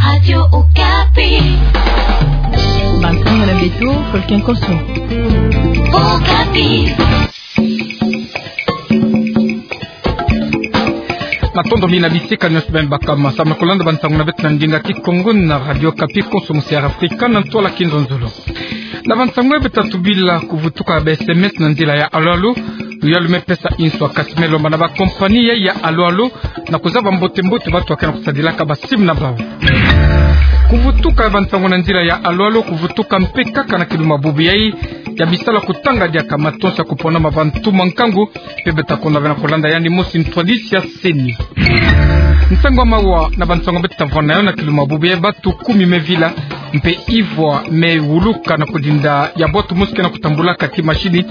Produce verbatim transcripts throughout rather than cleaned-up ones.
Radio Okapi. Bantu na beto, Folken Koso. Okapi. Matondo mingi na bisika nyonso beno baka ma samu na kolanda bansangu na beto na ndinga Kikongo na Radio Okapi, konso musi ya Afrika na ntwala kinzonzolo. Na bansangu ya beto, tatu bila kuvutuka ba S M S na nzila ya alo-alo. Luyalu me pesa inswa, kasi me lomba na ba compagnie ya alo-alo na kuzaba mbote-mbote bantu ya ke na kusadilaka ba SIM na bau. Kuvutuka ya bansangu na nzila ya alo-alo kuvutuka mpe kaka na kilumbu bubu yai ya bisalu ya kutanga diaka matonsi ya kupona ma bantu ma nkangu, mpe beto ta konda ve na kolanda yandi mosi ntwadisi ya CENI. Nsangu ya mawa na bansangu beto ta vwanda na yo na kilumbu bubu yai: bantu kumi me vila, mpe ivwa me wuluka na kudinda ya bwatu mosi ke na kutambulaka ti mashini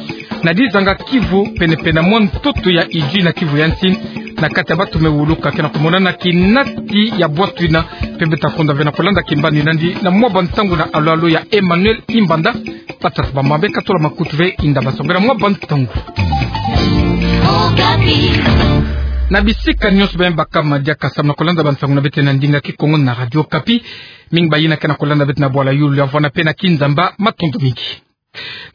na dizanga Kivu, pene-pene na mwa ntoto ya Idjwi na Kivu ya nsi. Na kati ya bantu me wuluka ke na kumonana kinati ya bwatu yina, mpe beto ta konda ve na kolanda kimbani nandi na mwa bansangu na alo-alo ya Emmanuel Imbanda. Patrick Bambabe ka tola makutu ve, inda basongela mwa bansangu. Na bisika nyonso beno baka ma diaka samu na kolanda bansangu na beto na ndinga Kikongo na Radio Okapi, mingi bayina ke na kolanda beto na bwala yulu ya vwanda mpe na kinzamba. Matondo mingi.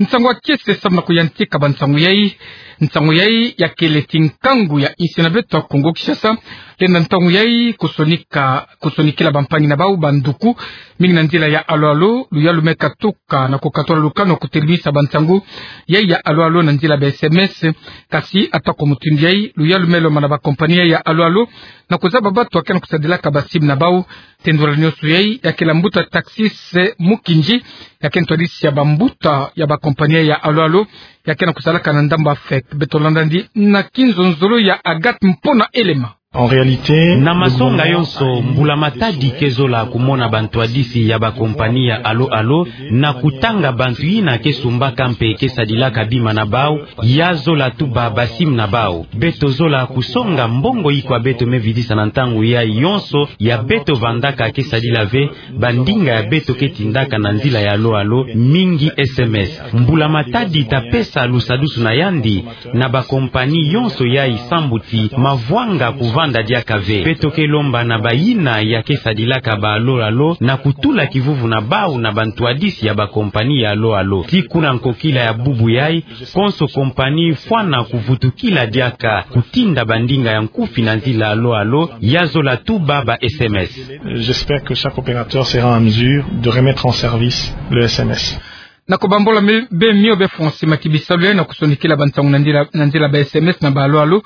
Nsangu ya kiese samu na kuyantika bansangu yai. Nsangu yai ya kele ti nkangu ya insi na beto ya Kongo Kinshasa lenda ntangu yai kusonika, kusonikila bampangi na bau, banduku, mingi na nzila ya alo-alo. Luyalu me katuka na kukatula lukanu ya kutelimisa bansangu yai ya alo-alo na nzila ba S M S. Kasi ata kwa mutindu yai, luyalu me lomba na ba compagnie ya alo-alo na kuzaba bantu ya ke na kusadilaka ba SIM na bau. Tendula nyonso yai ya kele mbuta Taxis Mukinji, ya ke ntwadisi ya bambuta ya ba compagnie ya alo-alo ya ke na kusalaka na ndambu ya fake. Beto landa yandi na kinzonzolo ya Agathe Mpona Elema. En réalité, na masonga yonso, mbula matadi ke zola kumona bantwadisi ya ba compagnie ya alo-alo na kutanga bantu yina ke sumbaka mpe ke sadilaka bima na bau, ya zola tuba ba SIM na bau. Beto zola kusonga mbongo ikwa beto me vidisa na ntangu yai yonso ya beto vandaka ke sadila ve bandinga ya beto ke tindaka na nzila ya alo-alo, mingi S M S. Mbula matadi ta pesa lusadusu na yandi na ba compagnie yonso yai sambu ti mavwanga kuvanda diaka ve. Beto ke lomba na bayina ya ke sadilaka ba alo-alo na kutula kivuvu na bau na bantwadisi ya ba compagnie ya alo-alo. Ti kuna nkokila ya bubu yai, konso compagnie fwana kuvutukila diaka kutinda bandinga ya nkufi na nzila alo-alo, ya zola tuba ba S M S. J'espère que chaque opérateur sera en mesure de remettre en service le S M S. Na kubambola me, be mio be fonsi mati bisalu yai na kusonikila bansangu na nzila, na nzila ba S M S na ba alo-alo,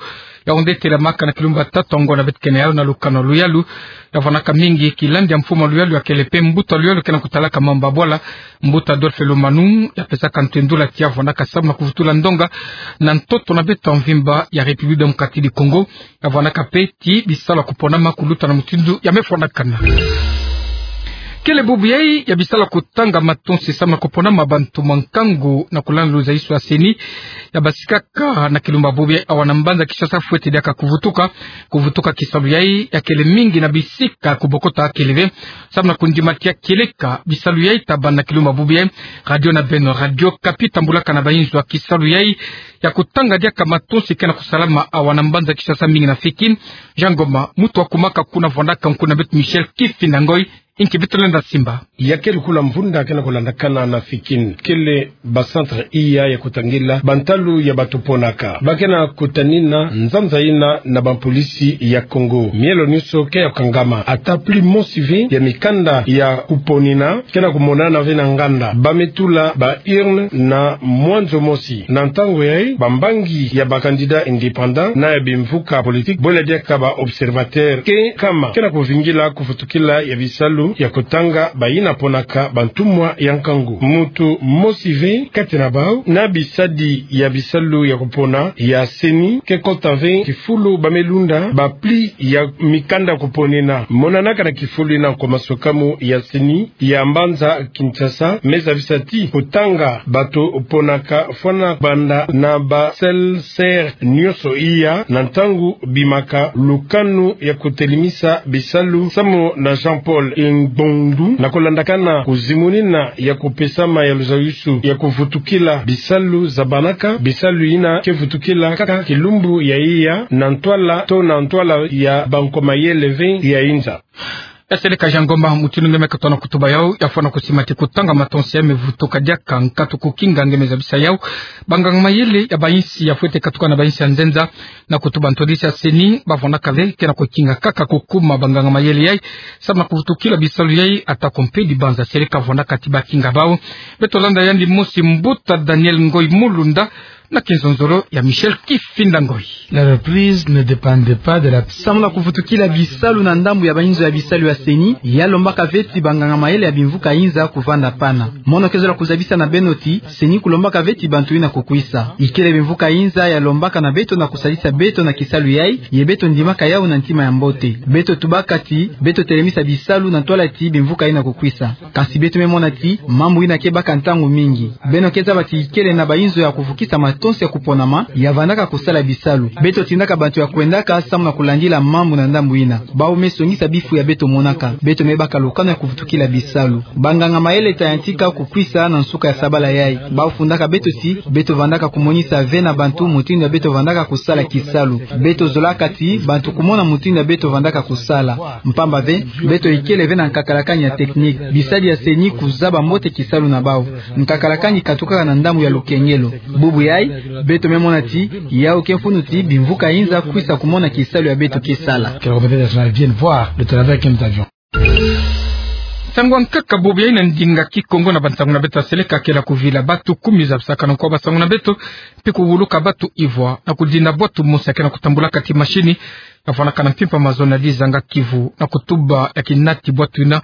ya onde telamaka na kilumbu ya tatu ya ngonda beto ke na yau na lukanu ya luyalu. Ya vwanaka mingi kilandi ya mfumu ya luyalu ya kele mpe mbuta luyalu ke na kutalaka mambu ya bwala, mbuta Adolphe Lomanung, ya pesaka ntendula ti ya vwanaka samu na kuvutula ndonga na ntoto na beto ya mvimba ya République Démocratique du Congo. Ya vwanaka mpe ti bisalu ya kupona ma kuluta na mutindu ya me fwanakana. Kele bubu yai ya bisalu ya kutanga matonsi samu na kupona ma bantu ma nkangu na kulanda luzaiso ya CENI ya basikaka na kilumbu bubu yai awa na mbanza Kinshasa fwete diaka kuvutuka. Kuvutuka kisalu yai ya kele mingi na bisika kubokota kele ve. Samu na kundima ti ya kieleka bisalu yai ta banda na kilumbu bubu yai, radio na beno, Radio Okapi, tambulaka na bayinzo ya kisalu yai ya kutanga diaka matonsi ke na kusalama awa na mbanza Kinshasa, mingi na Fikin. Jean Ngoma, muntu ya kumaka kuna, vwandaka nkuna beto Michel Kifinda Ngoi, inki beto lenda simba. Ya kele kuna mvunda ke na kulandakana na Fikin, kele ba centre iya ya kutangila bantalu ya bato ponaka. Ba ke na kutanina nzanza yina na bampolisi ya Congo. Mielo nyonso ke ya kukangama. Ata plus mosi ve ya mikanda ya kuponina ke na kumonana ve na nganda. Ba me tula ba urne na mwanzo mosi. Na ntangu yai, bambangi ya ba candidat indépendant na ya bimvuka politique, bole diaka ba observateur ke kama, ke na kuvingila kuvutukila ya bisalu ya kutanga bayina ponaka bantumwa ya nkangu. Muntu mosi ve kati na bau na bisadi ya bisalu ya kupona ya CENI ke kota ve kifulu ba me lunda ba pli ya mikanda kuponina. Monanaka na kifulu yina nkomasokamu ya CENI ya mbanza Kinshasa me zabisa ti kutanga bato ponaka fwana banda na ba CELSER nyonso iya na ntangu bimaka lukanu ya kutelimisa bisalu samu na Jean-Paul Ngbondu, na kulandakana kuzimunina ya kupesama ya luzayusu ya kuvutukila bisalu zabanaka, bisalu yina ke vutukila kaka kilumbu ya iya na ntwala to na ntwala ya bankomayele ve ya inza. Ya seleka Jean Ngoma, mutindu nge me katuka na kutuba yau, ya fwana kusima ti kutanga matonsi ya me vutuka diaka nkatu kukinga nge me zabisa yau banganga-mayele ya bayinsi ya fwete katuka na bayinsi ya nzenza. Na kutuba ntwadisi ya CENI, ba fwanaka ve ke na kukinga kaka kukuma banganga-mayele yai, samu na kuvutukila bisalu yai, atako mpe dibanza seleka fwanaka ti bakinga bau. Beto landa yandi mosi mbuta Daniel Ngoy Mulunda, na kinzonzolo ya Michel Kifinda Ngoy. La reprise ne dépendait pas de la... Samu na kuvutukila bisalu na ndambu ya bainzo ya bisalu ya CENI, ya lombaka ve ti banganga-mayele ya bimvuka inza kuvanda pana. Mono ke zola kuzabisa na beno ti, CENI kulombaka ve ti bantu yina kukwisa. Ikele bimvuka inza ya lombaka na beto na kusadisa beto na kisalu yai, ye beto ndimaka yau na ntima ya mbote. Beto tubaka ti, beto telemisa bisalu na ntwala ti bimvuka yina kukwisa. Kasi beto me mona ti, mambu yina ke baka ntangu mingi. Beno ke zaba ti ikele na bainzo ya kuvukisa matonsi ya kuponama, ya vandaka kusala bisalu. Beto tindaka bantu ya kwendaka samu na kulandila mambu na ndambu yina. Bau me songisa bifu ya beto monaka. Beto me baka lukanu ya kuvutukila bisalu. Banganga-mayele ta yantika kukwisa na nsuka ya sabala yai. Bau fundaka beto ti, beto vandaka kumonisa ve na bantu mutindu ya beto vandaka kusala kisalu. Beto zolaka ti, bantu kumona mutindu ya beto vandaka kusala. Mpamba ve, beto ikele ve na nkakalakani ya technique. Bisadi ya CENI kuzaba mbote kisalu na bau. Nkakalakani katukaka na ndambu ya lukengelo. Bubu yai, beto me mona ti, yau ke mfunu ti, bimvuka inza kwisa kumona kisalu ya beto ke sala. Que la communauté nationale vienne voir le travail que nous avions. Nsangu ya nkaka bubu yai na ndinga Kikongo na bansangu na beto ya seleka kele kuvila batu kumi zabisaka na nko basangu na beto, mpe kuwuluka batu ivwa, na kudinda bwatu mosi ya ke na kutambulaka ti mashini, ya fwanaka na mpimpa mazono ya dizanga Kivu, na kutuba ya kinati bwatu yina.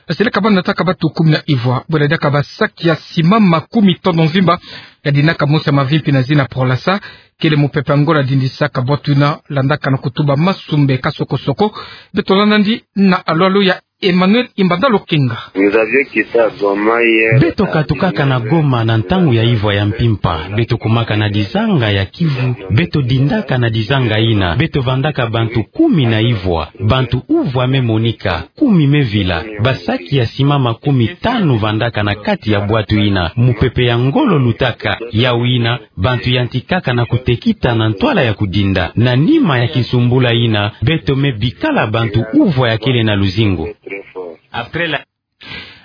Ya seleka ba nataka batu kumi na ivwa, bwela diaka basaki ya sima makumi tanu mvimba, ya dinaka mosi ya mavimpi na zina Prolasa, kele mupepe ya ngolo ya dindisaka bwatu yina, landaka na kutuba masumbe ka soko-soko. Beto landa yandi na alwalu ya Emmanuel Imbanda Lokenga. Nous avions quitté Goma hier. Beto katukaka na Goma na ntangu ya ivwa ya mpimpa. Beto kumaka na dizanga ya Kivu. Beto dindaka na dizanga yina. Beto vandaka bantu kumi na ivwa. Bantu uvwa me monika. Kumi me vila. Basaki ya sima makumi tanu vandaka na kati ya bwatu yina. Mupepe ya ngolo lutaka. Yau yina, bantu yantikaka na kutekita na ntwala ya kudinda. Na nima ya kinsumbula yina, beto me bikala bantu uvwa ya kele na luzingu. Après la...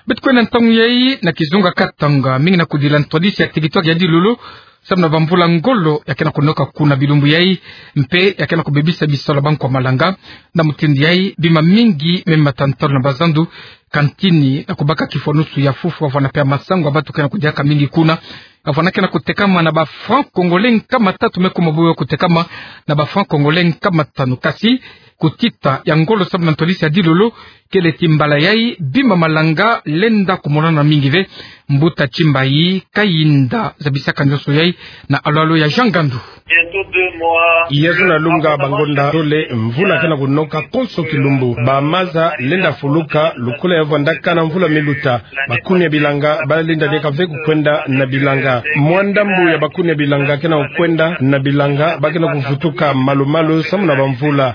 Beto kwenda ntangu yai na kizunga Katanga, mingi na kudila ntwadisi ya territoire ya Dilolo, samu na bamvula ngolo ya ke na kunoka kuna bilumbu yai, mpe ya ke na kubebisa bisalu ya bankwa malanga. Na mutindu yai, bima mingi me mata ntalu na bazandu, kantini, na kubaka kifwanusu ya fufu, wavana mpe ya masangu ya batu ke na kudiaka mingi kuna. Avana ke na kutekama na ba francs congolais nkama tatu, me kuma bubu kutekama na ba francs congolais nkama tanu. Kasi kutita ya ngolo samu na ntwadisi ya Dilolo, kele ti mbala yai bima malanga lenda kumonana mingi ve. Mbuta Tsimbayi Kayinda zabisaka nzonso yai na alwalu ya Jean Gandu. Ya zona lunga bangonda tole mvula ke na kunoka konso kilumbu. Ba maza lenda fuluka lokola ya vandaka na mvula me luta. Bakuni ya bilanga ba lenda diaka ve kukwenda na bilanga. Mwa ndambu ya bakuni ya bilanga ke na kukwenda na bilanga, ba ke na kuvutuka malu-malu samu na bamvula.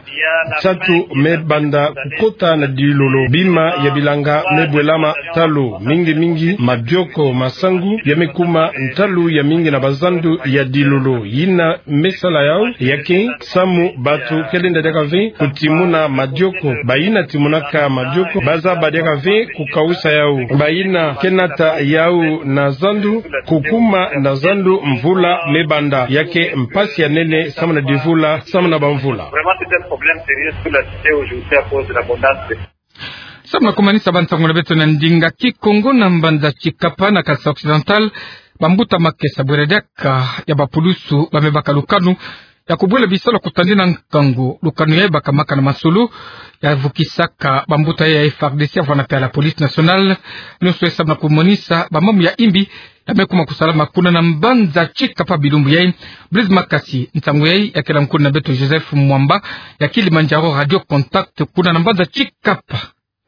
Nsatu me banda kukota na Dilolo. Bima ya bilanga me bwelama ntalu, mingi-mingi madioko, masangu, ya me kuma ntalu ya mingi na bazandu ya Dilolo. Yina me sala yau ya ke samu batu ke lenda diaka ve kutimuna madioko. Bayina timunaka madioko, ba zaba diaka ve kukawusa yau. Bayina ke nata yau na zandu, kukuma na zandu mvula me banda. Ya ke mpasi ya nene samu na divula, samu na bamvula. Vraiment, c'est un problème sérieux sur la cité aujourd'hui à cause de l'abondance des... Samu na kumanisa bansangu na beto na ndinga Kikongo, na mbanza Tshikapa na Kasaï Occidental, bambuta makesa bwela diaka ya bapulusu ba me baka lukanu ya kubwela bisalu ya kutandi na nkangu. Lukanu yai bakamaka na masolo ya vukisaka bambuta ya FARDC, avana mpe ya la police nationale. Nionso yai samu na kumonisa bamambu ya imbi ya me kuma kusalama kuna na mbanza Tshikapa bilumbu yai. Blaise Makasi, nsangu yai ya kela nkulu na beto Joseph Mwamba ya Kilimanjaro Radio Contact kuna na mbanza Tshikapa.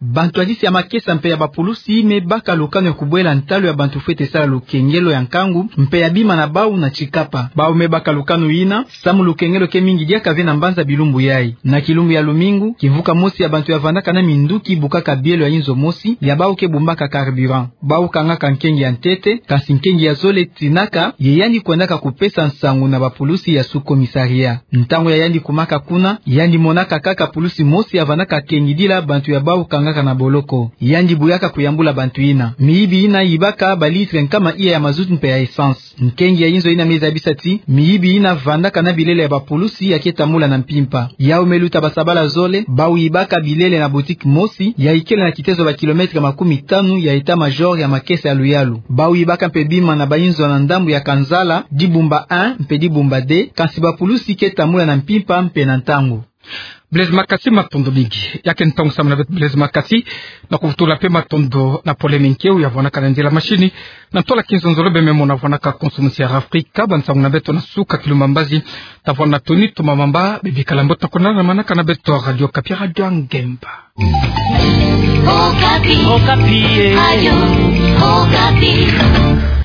Bantwadisi ya makesa mpe ya bapulusi me baka lukanu ya kubwela ntalu ya bantu fwete sala lukengelo ya nkangu mpe ya bima na bau na Tshikapa. Bau me baka lukanu yina samu lukengelo ke mingi diaka ve na mbanza bilumbu yai. Na kilumbu ya lumingu, kimvuka mosi ya bantu ya vandaka na minduki bukaka bielo ya inzo mosi ya bau ke bumbaka carburant. Bau kangaka nkengi ya ntete, kasi nkengi ya zole tinaka ye yandi kwendaka kupesa nsangu na bapulusi ya sous-commissariat. Ntangu ya yandi kumaka kuna, yandi monaka kaka pulusi mosi ya vandaka kengidila bantu ya bau kanga kaka na boloko. Yandi buyaka kuyambula bantu yina. Miyibi yina yibaka balitre nkama iya ya mazout mpe ya essence. Nkengi ya inzo yina me zabisa ti miyibi yina vandaka na bilele ya bapulusi ya ke tambula na mpimpa. Yawu me luta basabala zole, bawu yibaka bilele na boutique mosi ya ikele na kitezo bakilometre makumi tanu ya état-major ya makesa ya luyalu. Bawu yibaka mpe bima na bainzo na ndambu ya Kanzala, Dibumba un mpe Dibumba deux, kansi bapulusi ke tambula na mpimpa mpe na ntangu. Blaise Makasi, matondo mingi. Ya ke ntangu samu na beto, Blaise Makasi, na kuvutula mpe matondo na Pole Minkeu ya vwanaka na nzila mashini, na ntola kinzonzolo bememona vwanaka konso musi ya Afrika. Bansangu na beto na suka, kilumbu mbazi, ta vwana toni toma mamba, bebikala mbote na konana manaka na beto Radio Okapi, Radio ya ngemba. Okapi. Okapi, eh. Radio Okapi.